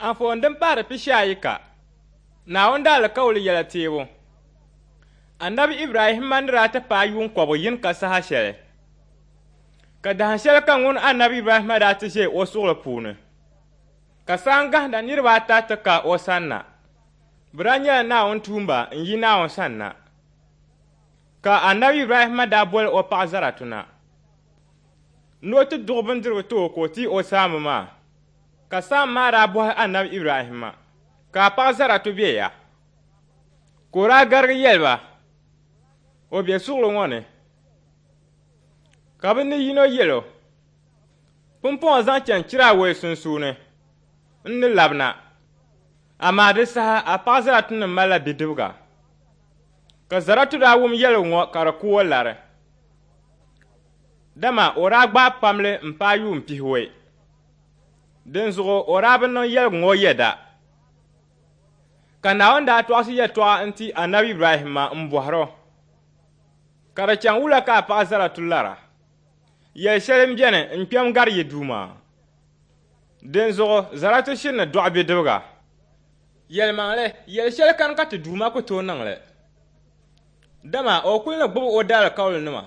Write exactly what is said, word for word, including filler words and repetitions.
Anfooni din pahiri pishi ayi ka, Naawuni daalikauli yɛla teebu. Anabi Ibrahimma ni daa ti paai yuun kɔbigu yini ka saha shɛli, ka dahin shɛli ka ŋun Anabi Ibrahimma daa ti ʒe o suɣili puuni, ka saangahinda niriba ata ti ka o sanna. Bɛ daa nyɛla Naawuni tuumba n-yi Naawuni sanna. Ka Anabi Ibrahimma daa boli o paɣa Zaratu na ni o ti duɣi bindirigu ti o ka o ti o saamba maa. Ka saamba maa daa bɔhi Anabi Ibrahimma, Ka a paɣa Zaratu be ya? Ka o daa garigi yɛli ba, O be suɣili ŋɔ ni. Ka bɛ ni yino yɛl o, Pumpɔŋɔ zaŋ chani chira awɛi sunsuuni, n ni labina, amaa di saha a paɣa Zaratu ni malila bidibiga. Ka Zaratu daa wum yɛligu ŋɔ ka di ku o lari, dama o daa gbaai pamli m-paai yuun pihiwɛi. Dinzuɣu o daa bi niŋ yɛligu ŋɔ yɛda. Ka Naawuni daa tɔɣisi yɛtɔɣa n-ti Anabi Ibrahimma m-bɔhir o, Ka di chaŋ wula ka a paɣa Zaratu lara? Yɛl shɛli m-beni n-kpɛm gari yi Duuma. Dinzuɣu Zaratu shiri ni dɔɣi bidibiga. Yɛlimaŋli, yɛl shɛli kani ka ti Duuma ku tooi niŋ li, dama o kul ni gbib o daalikaulinima.